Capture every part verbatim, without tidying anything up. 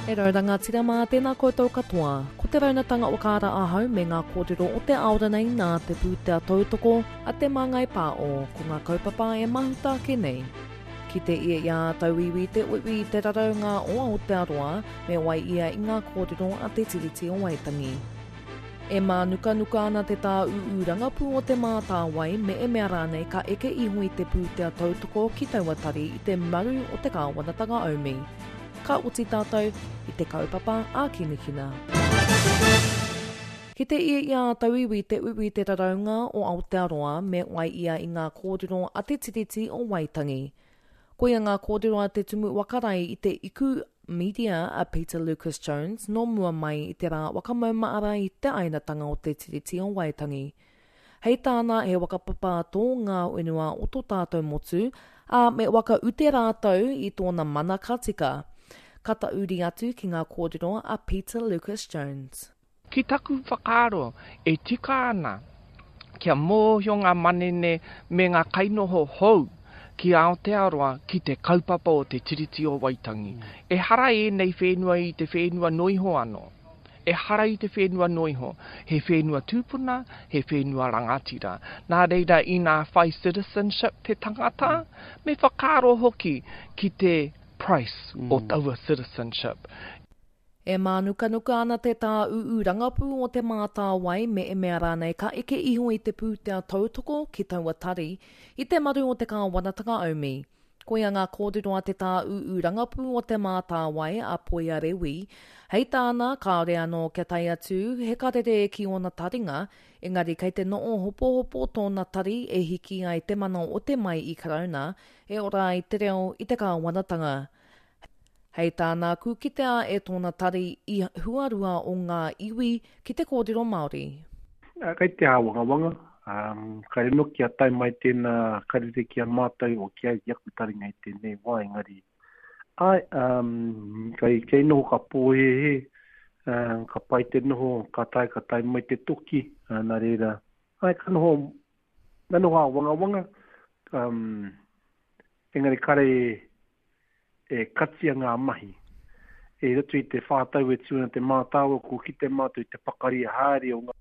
E rau rangatira mā, tēnā koutou katoa. Ko te raunatanga o Kāra Ahau me ngā kōrero o te aora nei nā te pūtea tautoko a Te Māngai Pāo, ko ngā kaupapa e mahuta ake nei. Ki te ia i a tauiwi te uiui i te raraunga o Aotearoa, me wai ia i ngā kōrero a Te Tiriti o Waitangi. E mānukanuka ana te tāūū rangapū o Te Mātāwai me e mea rānei ka eke iho i te pūtea tautoko ki taua tari i te maru o te kāwanatanga aumi. Ka oti tātou i te kaupapa ākinakina. Ki te ia i a tauiwi te uiui te raraunga o Aotearoa me wai ia i ngā kōrero a Te Tiriti o Waitangi. Koia ngā kōrero a te Tumu Whakarae i te Iku Media a Peter Lucas Jones nō mua mai i te rā whakamaumaara i te ainatanga o Te Tiriti o Waitangi. Hei tāna he whakapapa tō ngā whenua o tō tātou motu, ā, me whakaute rātou i tōna mana ka tika. Ka tauri atu ki ngā kōrero a Peter Lucas Jones. Ki taku whakaaro, e tika ana kia mōhio ngā manene me ngā kainoho hou ki Aotearoa ki te kaupapa o Te Tiriti o Waitangi. Ehara ēnei whenua i te whenua noiho anō. Ehara i te whenua noiho. He whenua tūpuna, he whenua rangatira. Nā reira, inā whai citizenship te tangata, me whakaaro hoki ki te price o taua citizenship. E mānukanuka ana te tāūū rangapū o Te Mātāwai me e mea rānei ka eke iho i te pūtea tautoko ki taua tari i te maru o te kāwanatanga aumi. Koia ngā kōrero a te tāūū rangapū o Te Mātāwai a Poia Rewi. Hei tāna, kāore anō kia tae atu he karere ki ōna taringa, engari kei te noho hopohopo tōna tari e hiki ai te mana o te mai i Karauna e ora ai te reo i te kāwanatanga. Hei tāna, ku kitea e tōna tari i huarua o ngā iwi ki te kōrero Māori. Kei te āwangawanga, um, kare no kia tae mai tēnā karere ki a mātou o ki ai ki aku taringa i tēnei wā, engari. Ai, um, kei, kei noho ka pōhehe, um, ka pai te noho, ka tae, ka tae mai te toki, uh, nā reira. Ai, ka noho, ka noho āwangawanga, um, engari kare e katia ngā mahi. E roto i te whātau e tū ana te mātāwai, ko kite mātou i te pakari haere o ngā.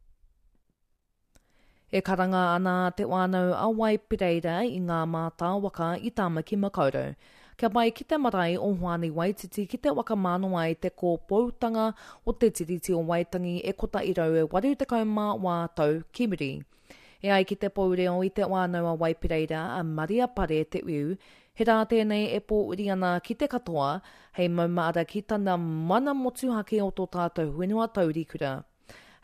E karanga ana te whānau a Waipereira i ngā mātāwaka i Tāmaki Makaurau. Kia pai ki te marae o Hoani Waititi ki te whakamānawa i te kōpoutanga o te Tiriti o Waitangi e kotahi rau e waru tekau mā wā tau ki muri. E ai ki te poureo i te whānau a Waipereira a Maria Pare Te Uiu, he rā tēnei e pōuri ana ki te katoa, hei maumahara ki tana mana motuhake o tō tātou whenua taurikura.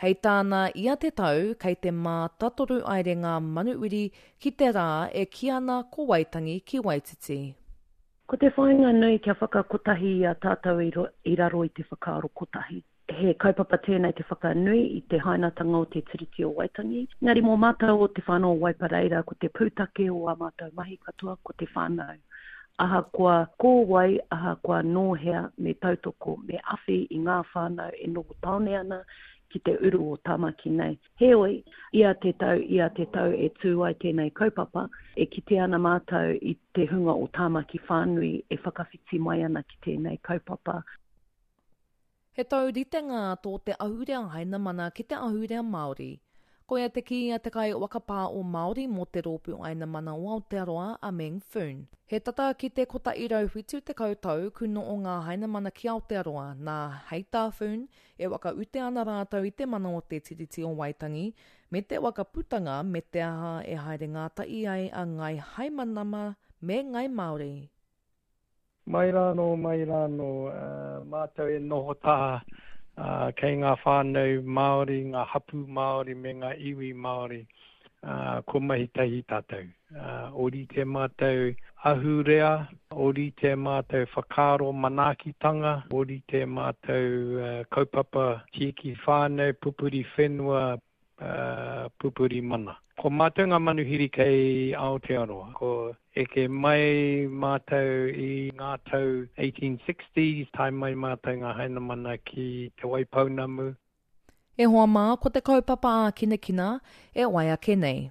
Hei tāna ia te tau, kei te mātatoru aere ngā manuwiri ki te rā e kī ana ko Waitangi ki Waititi. Ko te whāinga nui kia whakakotahi i a tātou i raro i te whakaaro kotahi. He kaupapa tēnei te whakanui i te hainatanga o te Tiriti o Waitangi. Engari mō mātou o te whānau o Waipareira, ko te pūtake o ā mātou mahi katoa, ko te whānau. Ahakoa ko wai, ahakoa nō hea, me tautoko, me awhi i ngā whānau e noho tāone ana ki te uru o Tāmaki nei. Heoi, ia te tau, ia te tau e tū ai tēnei kaupapa, e kite ana mātou i te hunga o Tāmaki whānui e whakawhiti mai ana ki tēnei kaupapa. He tauritenga tō te ahurea Hainamana ki te ahurea Māori. Koia te kī a te kai whakapā o Māori mō te rōpū Hainamana o Aotearoa a Meng Foon. He tata ki te kotahi rau whitu tekau tau ku noho ngā Hainamana ki Aotearoa, nā hei tā Foon, e whakaute ana rātou i te mana o te Tiriti o Waitangi, me te whakaputanga me te aha e haere ngātahi ai a Ngai Haimanama me Ngai Māori. Mai rānō, mai rānō, uh, mātou e noho taha uh, kei ngā whānau Māori, ngā hapū Māori me ngā iwi Māori, uh, ko mahi tahi tātou. Uh, ōrite mātou ahurea, ōrite mātou whakaaro manaakitanga, ōrite mātou uh, kaupapa tiaki whānau, pupuri whenua, uh, pupuri mana. Ko mātou ngā manuhiri kei Aotearoa. Ko eke mai mātou i ngā tau eighteen sixties, tae mai mātou ngā Hainamana ki Te Waipounamu. E hoa mā, ko te kaupapa ākinakina e wai ake nei.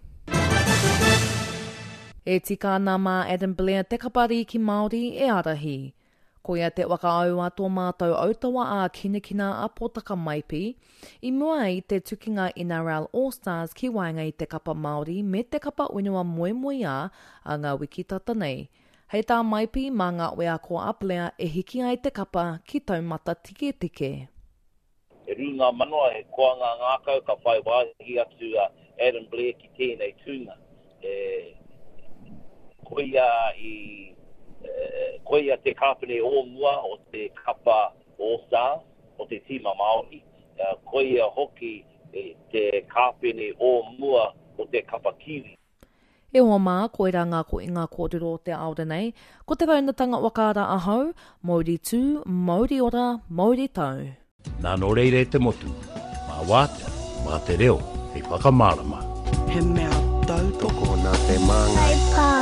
E tika ana mā Adam Blair te kapa rīki Māori e ārahi. Koia te whakaau a tō mātou autawa a Kinakina a Potaka Maipi, i mua i te tukinga N R L All Stars ki waenga i te kapa Māori me te kapa whenua moemoeā a ngā wiki tata nei. Hei tā Maipi, mā ngā wheako a Blair e hiki ai te kapa ki taumata tiketike. He rū ngā manawa, he koa ngā ngākau ka whai wāhi atu a Adam Blair ki tēnei tūnga. E, koia i koia te kāpene o mua o te kapa All Stars, o te tīma Māori, koia hoki te kāpene o mua o te kapa Kiwi. E hoa mā, koirā ngā koinga kōrero o te aore nei. Ko te raunatanga wakaara ahau, mauri tū, mauri ora, mauri tau. Nā nō reira e te motu, mā wātea, mā te reo, hei whakamārama. He mea tautoko nā te māngai. Hei pā.